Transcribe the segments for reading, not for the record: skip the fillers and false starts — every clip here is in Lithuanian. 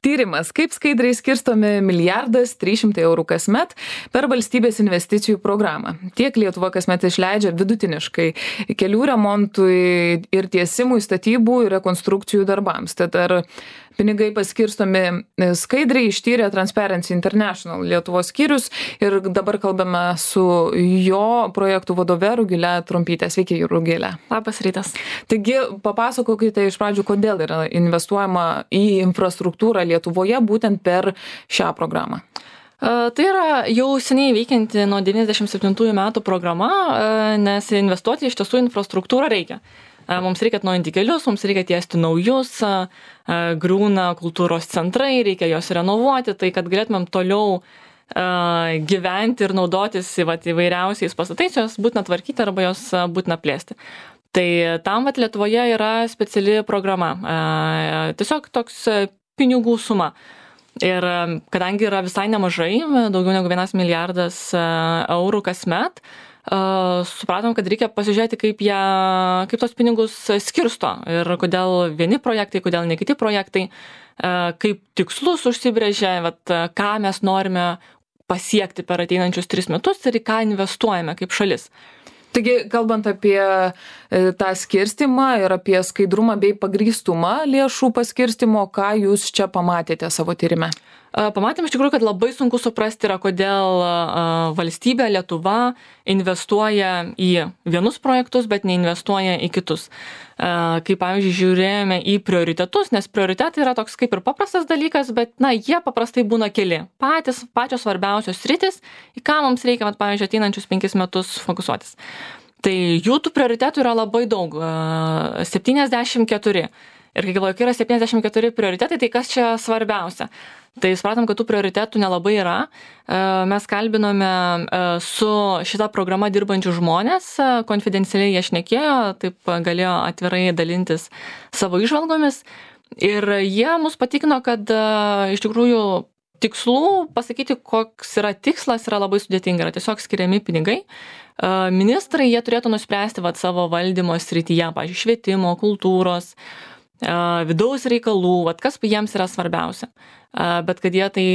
Tyrimas, kaip skaidriai skirstomi 1,300 eurų kasmet per valstybės investicijų programą. Tiek Lietuva kasmet išleidžia vidutiniškai kelių remontui ir tiesimui, statybų ir rekonstrukcijų darbams. Tad ar pinigai paskirstomi skaidriai, ištyrė Transparency International Lietuvos skyrius ir dabar kalbame su jo projektų vadove Rugile Trumpyte. Sveiki, Rugile. Labas rytas. Taigi, papasakokite iš pradžių, kodėl yra investuojama į infrastruktūrą Lietuvoje būtent per šią programą. Tai yra jau seniai veikianti nuo 97 metų programa, nes investuoti iš tiesų infrastruktūrą reikia. Mums reikia atnaujinti kelius, mums reikia tiesti naujus, griūna kultūros centrai, reikia juos renovuoti, tai kad galėtumėm toliau gyventi ir naudotis įvairiausiais pastatais, jos būtina tvarkyti arba jos būtina plėsti. Tai tam Lietuvoje yra speciali programa, tiesiog toks pinigų suma. Ir kadangi yra visai nemažai, daugiau negu 1 milijardas eurų kasmet, supratom, kad reikia pasižiūrėti, kaip tos pinigus skirsto ir kodėl vieni projektai, kodėl ne kiti projektai, kaip tikslus užsibrėžia, ką mes norime pasiekti per ateinančius 3 metus ir į ką investuojame kaip šalis. Taigi, kalbant apie tą skirstimą ir apie skaidrumą bei pagrįstumą lėšų paskirstimo, ką jūs čia pamatėte savo tyrime? Pamatėm iš tikrųjų, kad labai sunku suprasti yra, kodėl valstybė Lietuva investuoja į vienus projektus, bet neinvestuoja į kitus. Kaip pavyzdžiui, žiūrėjome į prioritetus, nes prioritetai yra toks kaip ir paprastas dalykas, bet jie paprastai būna keli. Pačios svarbiausios sritis, į ką mums reikia, pavyzdžiui, ateinančius 5 metus fokusuotis. Tai jų tų prioritetų yra labai daug, 74. Ir kai galvoju, kai yra 74 prioritetai, tai kas čia svarbiausia? Tai supratom, kad tų prioritetų nelabai yra. Mes kalbinome su šitą programą dirbančių žmonės, konfidencialiai jie šnekėjo, taip galėjo atvirai dalintis savo įžvalgomis. Ir jie mus patikino, kad iš tikrųjų tikslų pasakyti, koks yra tikslas, yra labai sudėtinga. Yra tiesiog skiriami pinigai. Ministrai jie turėtų nuspręsti savo valdymo srityje, pavyzdžiui, švietimo, kultūros, vidaus reikalų, kas jiems yra svarbiausia. Bet kad jie tai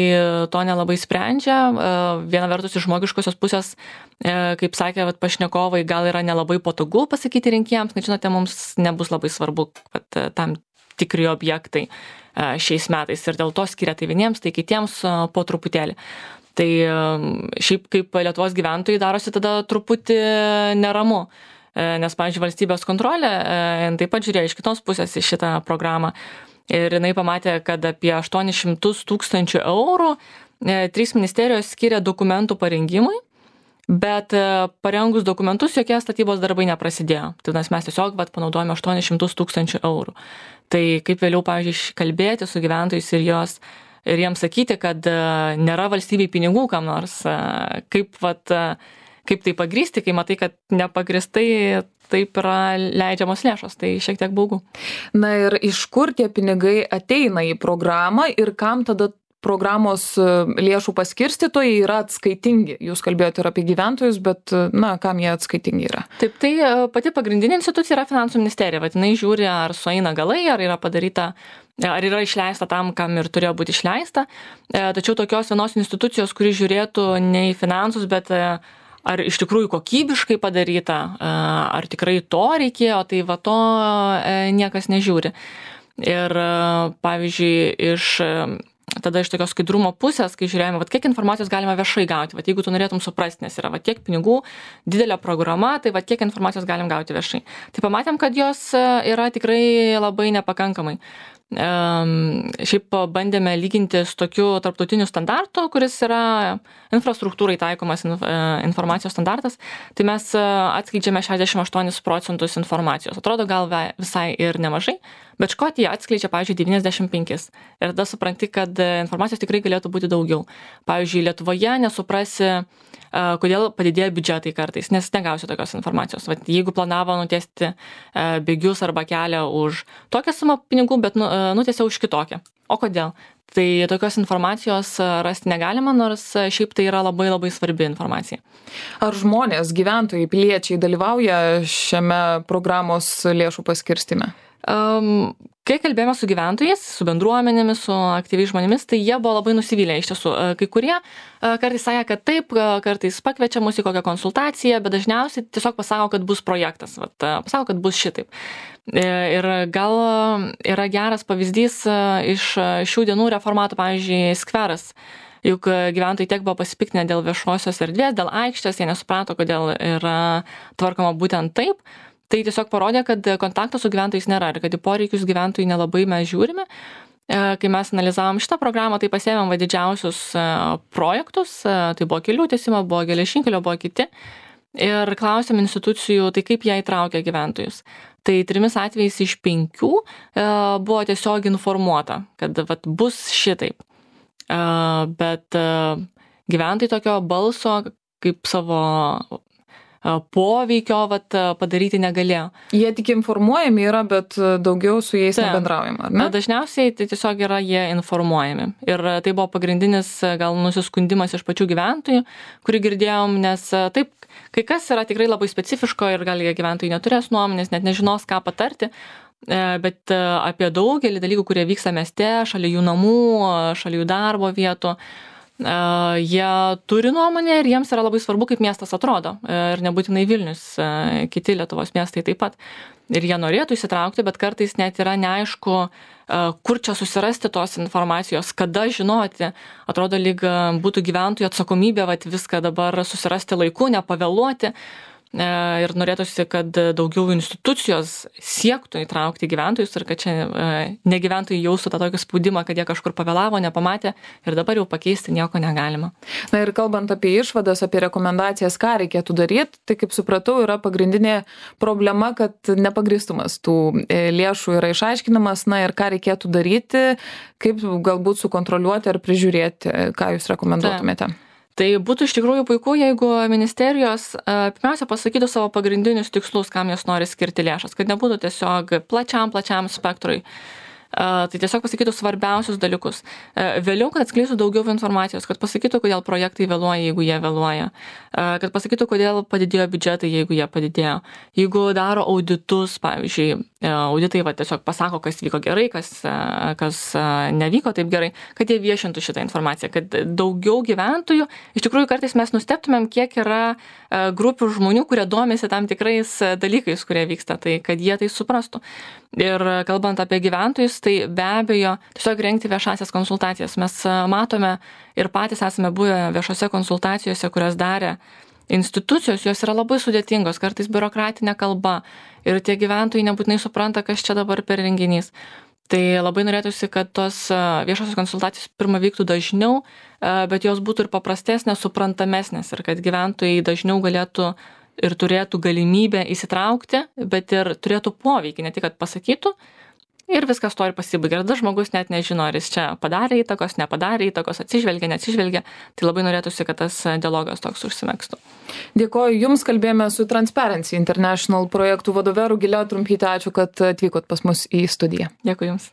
to nelabai sprendžia, viena vertus iš žmogiškosios pusės, kaip sakė pašnekovai, gal yra nelabai patogu pasakyti rinkėjams, kad žinote, mums nebus labai svarbu tam tikri objektai šiais metais ir dėl to skiria tai vieniems, tai kitiems po truputėlį. Tai šiaip kaip Lietuvos gyventojai darosi tada truputį neramu. Nes, pavyzdžiui, valstybės kontrolė taip pat žiūrėjo iš kitos pusės į šitą programą ir jinai pamatė, kad apie 800 000 eurų 3 ministerijos skiria dokumentų parengimui, bet parengus dokumentus jokie statybos darbai neprasidėjo. Tai mes tiesiog panaudojame 800 000 eurų. Tai kaip vėliau, pavyzdžiui, kalbėti su gyventojais ir jiems sakyti, kad nėra valstybei pinigų kam nors, kaip tai pagrįsti, kai matai, kad nepagristai taip yra leidžiamos lėšos, tai šiek tiek baugu. Na ir iš kur tie pinigai ateina į programą ir kam tada programos lėšų paskirstytojai yra atskaitingi? Jūs kalbėjote ir apie gyventojus, bet kam jie atskaitingi yra? Taip, tai pati pagrindinė institucija yra Finansų ministerija. Jinai žiūri, ar sueina galai, ar yra padaryta, ar yra išleista tam, kam ir turėjo būti išleista. Tačiau tokios vienos institucijos, kuri žiūrėtų ne į finansus, bet ar iš tikrųjų kokybiškai padaryta, ar tikrai to reikėjo, tai to niekas nežiūri. Ir pavyzdžiui, tada iš tokios skaidrumo pusės, kai žiūrėjome, kiek informacijos galima viešai gauti, jeigu tu norėtum suprasti, nes yra tiek pinigų, didelė programa, tai kiek informacijos galim gauti viešai. Tai pamatėm, kad jos yra tikrai labai nepakankamai. Šiaip bandėme lyginti su tokiu tarptautiniu standartu, kuris yra infrastruktūrai taikomas informacijos standartas, tai mes atskleidžiame 68% informacijos. Atrodo gal visai ir nemažai, bet Škotija atskleidžia, pavyzdžiui, 95. Ir tada supranti, kad informacijos tikrai galėtų būti daugiau. Pavyzdžiui, Lietuvoje nesuprasi, kodėl padidėjo biudžetai kartais, nes negausi tokios informacijos. Jeigu planavo nutiesti bėgius arba kelią už tokią sumą pinigų, bet nutiesė už kitokią. O kodėl? Tai tokios informacijos rasti negalima, nors šiaip tai yra labai labai svarbi informacija. Ar žmonės, gyventojai, piliečiai dalyvauja šiame programos lėšų paskirstime? Kai kalbėjome su gyventojais, su bendruomenėmis, su aktyviais žmonėmis, tai jie buvo labai nusivylę iš tiesų. Kai kurie kartais sakė, kad taip, kartais pakviečia mus į kokią konsultaciją, bet dažniausiai tiesiog pasako, kad bus projektas, pasako, kad bus šitaip. Ir gal yra geras pavyzdys iš šių dienų reformatų, pavyzdžiui, skveras. Juk gyventojai tiek buvo pasipiktinę dėl viešosios erdvės, dėl aikštės, jie nesuprato, kodėl yra tvarkoma būtent taip. Tai tiesiog parodė, kad kontakto su gyventojais nėra ir kad į poreikius gyventojų nelabai mes žiūrime. Kai mes analizavom šitą programą, tai pasėmėm didžiausius projektus, tai buvo kelių tiesimo, buvo geležinkelio, buvo kiti. Ir klausėm institucijų, tai kaip jie įtraukia gyventojus. Tai 3 atvejais iš 5 buvo tiesiog informuota, kad bus šitaip. Bet gyventojai tokio balso kaip savo poveikio padaryti negalėjo. Jie tik informuojami yra, bet daugiau su jais nebendraujama, ar ne? Dažniausiai tai tiesiog yra jie informuojami. Ir tai buvo pagrindinis gal nusiskundimas iš pačių gyventojų, kurį girdėjom, nes taip, kai kas yra tikrai labai specifiško ir gal gyventojai neturės nuomonės, net nežinos, ką patarti. Bet apie daugelį dalykų, kurie vyksta mieste, šalia jų namų, šalia jų darbo vietų, jie turi nuomonę ir jiems yra labai svarbu, kaip miestas atrodo. Ir nebūtinai Vilnius, kiti Lietuvos miestai taip pat. Ir jie norėtų įsitraukti, bet kartais net yra neaišku, kur čia susirasti tos informacijos, kada žinoti. Atrodo, lyg būtų gyventojų atsakomybė viską dabar susirasti laiku, nepavėluoti. Ir norėtųsi, kad daugiau institucijos siektų įtraukti gyventojus ir kad čia ne gyventojai jaustų tą tokį spaudimą, kad jie kažkur pavėlavo, nepamatė ir dabar jau pakeisti nieko negalima. Na ir kalbant apie išvadas, apie rekomendacijas, ką reikėtų daryti, tai kaip supratau, yra pagrindinė problema, kad nepagristumas tų lėšų yra išaiškinamas, na ir ką reikėtų daryti, kaip galbūt sukontroliuoti ar prižiūrėti, ką jūs rekomenduotumėte. Tai būtų iš tikrųjų puiku, jeigu ministerijos pirmiausia pasakytų savo pagrindinius tikslus, kam jos nori skirti lėšas, kad nebūtų tiesiog plačiam spektrui. Tai tiesiog pasakytų svarbiausius dalykus. Vėliau, kad atskleistų daugiau informacijos, kad pasakytų, kodėl projektai vėluoja, jeigu jie vėluoja. Kad pasakytų, kodėl padidėjo biudžetai, jeigu jie padidėjo. Jeigu daro auditus, pavyzdžiui, auditai tiesiog pasako, kas vyko gerai, kas nevyko taip gerai, kad jie viešintų šitą informaciją, kad daugiau gyventojų, iš tikrųjų kartais mes nustebtumėm, kiek yra grupių žmonių, kurie domisi tam tikrais dalykais, kurie vyksta, tai kad jie tai suprastų. Ir kalbant apie gyventojus, tai be abejo tiesiog rengti viešasias konsultacijas. Mes matome ir patys esame buvę viešose konsultacijose, kurias darė institucijos, jos yra labai sudėtingos, kartais biurokratinė kalba ir tie gyventojai nebūtinai supranta, kas čia dabar per renginys. Tai labai norėtųsi, kad tos viešosios konsultacijos pirma vyktų dažniau, bet jos būtų ir paprastesnės, suprantamesnės ir kad gyventojai dažniau galėtų ir turėtų galimybę įsitraukti, bet ir turėtų poveikį, ne tik kad pasakytų ir viskas to ir pasibaigia. Ir tada žmogus net nežino, ar jis čia padarė įtakos, nepadarė įtakos, atsižvelgia, neatsižvelgia. Tai labai norėtųsi, kad tas dialogas toks užsimegztų. Dėkoju Jums, kalbėjome su Transparency International projektų vadove Rugile Trumpyte. Ačiū, kad atvykot pas mus į studiją. Dėkui Jums.